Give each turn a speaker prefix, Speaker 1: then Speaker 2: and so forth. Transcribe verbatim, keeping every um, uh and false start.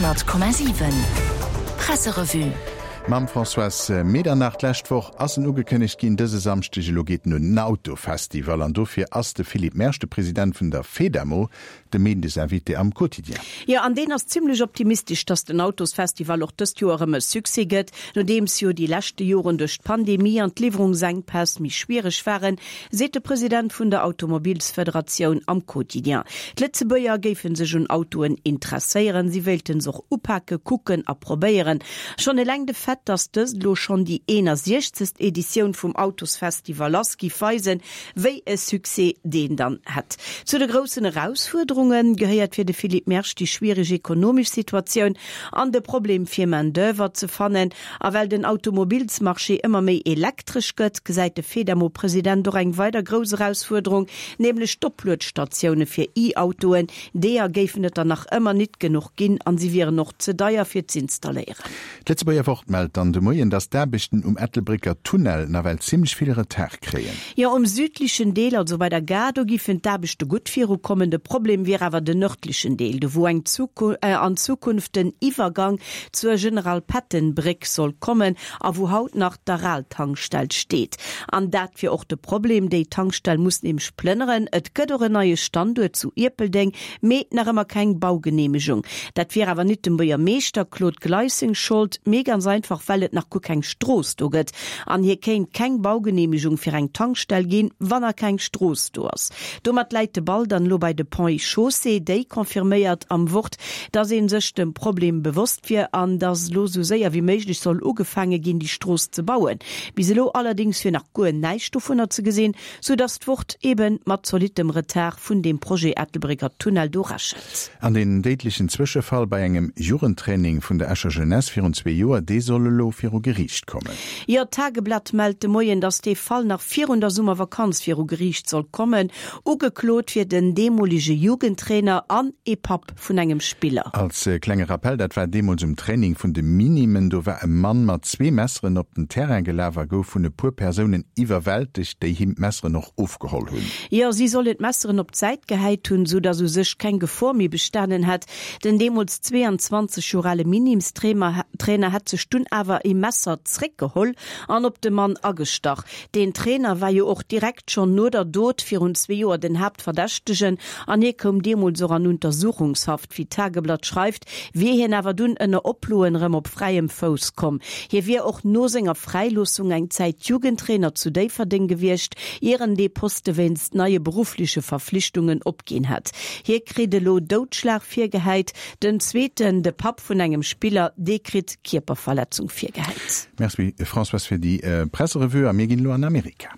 Speaker 1: Honnert Komma siwen Presserevue.
Speaker 2: Mam Françoise Medernach. D'lescht Woch ass en ugekënnegt ginn, dëse Samschdeg elo geet en un, den Autofestival. An dofir ass de Philippe Mersch, de President vun der Fedamo, de Méindesinvité am Quotidien.
Speaker 3: Jo, an deen ass zimmlech optimistesch, dass den Autosfestival och dëst Joer erëm e Succès gëtt. Nodeems jo déi leschte Joren duerch d'Pandemie an d'Liwwerungsenkpäss méi schwiereg waren, seet de President vun der Automobilsfederatioun am Quotidien. D'Lëtzebuerger géife sech un Autoen interesséieren, si wéilte se och upake, kucken a probéieren. Schonn eleng de Fait, dass dëst elo schonn déi eenasiechzegst Editioun vum Autosfestival ass, giff weisen, wéi e Succès deen dann hätt. Zu de groussen Erausfuerderunge gehéiert fir de Philippe Mersch déi schwiereg ekonomesch Situatioun an de Problem fir Main d'oeuvre ze fannen. A well den Automobilsmarché ëmmer méi elektresch gëtt, gesäit de Fedamo-President och eng weider grouss Erausfuerderung, nämlech d'Opluetstatioune fir E-Autoen. Deeër géifen et der nach ëmmer nit genuch ginn an si wieren och ze deier fir z'installéieren.
Speaker 2: D'Lëtzebuerger Wort mellt dann de Moien, datt d'Aarbechten um Ettelbrécker Tunnel nawell zimmlech vill Retard kréien.
Speaker 3: Jo, um südlechen Deel, also bei der Gare, do giffen d'Aarbechte gutt virukommen. De Problem wier awer den nërdlechen Deel, do wou eng an Zukunft den Iwwergang zur General Patton Bréck soll kommen a wou haut nach d'Aral-Tankstell steet. An dat wier och de Problem, déi Tankstell muss nämlech plënneren. Et gëtt och en neie Standuert zu Ierpeldeng, mee nach ëmmer keng Baugeneemegung. Dat wier awer nit dem Buergermeeschter Claude Gleis seng Schold, mee ganz einfach well et nach guer keng Strooss do gëtt an hie kéint keng Baugeneemegung fir eng Tankstell ginn, wann nach keng Strooss do ass. Domat läit de Ball dann elo bei de Ponts et Chaussées. Déi confirméiert am Wort, dass ee sech dem Problem bewosst wier an dass elo sou séier wéi méiglech soll ugefaange ginn, déi Strooss ze bauen. Bis elo allerdéngs wier nach guer näischt dovunner ze gesinn, sou dass d'Wort eeben mat zolittem Retard vun deem Projet Ettelbrécker Tunnel do rechent.
Speaker 2: An deen déidlechen Zwëschefall bei engem Jugendtraining vun der Escher Jeunesse virun zwee Joer, dee soll elo viru Geriicht kommen.
Speaker 3: Jo, d'Tageblatt mellt de Moien, dass dee Fall nach virun der Summervakanz viru Geriicht soll kommen. Ugeklot wier den deemolege Jugendtrainer an ee Papp vun engem Spiller.
Speaker 2: Als klenge Rappell, dat war deemools um Training vun de Minimen. Do war e Mann mat zwee Messeren op den Terrain gelaf a gouf vun e puer Persounen iwwerwältegt, déi him d'Messeren och ofgeholl hunn.
Speaker 3: Jo, si sollen d'Messeren op d'Säit gehäit hunn, sou dass u sech keng Gefor méi bestanen hätt. Den deemools zweeanzwanzeg Joer ale Minimstrainer hätt sech dunn awer ee Messer zréckgeholl an op de Mann agestach. Deen Trainer war jo och direkt schonn no der Dot virun zwee Joer den Haaptverdächtegen an hie koum deemools och an Untersuchungshaft. Wéi d'Tageblatt schreift, wier hien awer dunn ënner Oploen erëm op fräiem Fouss komm. Hie wier och no senger Fräiloossung eng Zäit Jugendtrainer zu Déifferdeng gewiescht, ier en dee Poste wéinst neie beruffleche Verflichtungen opginn hätt. Hie kritt elo Doudschlag virgehäit. Den zweeten, de Papp vun engem Spiller, dee kritt Kierperverletzung virgehäit.
Speaker 2: Merci Françoise fir déi Presserevue a mir ginn elo an Amerika.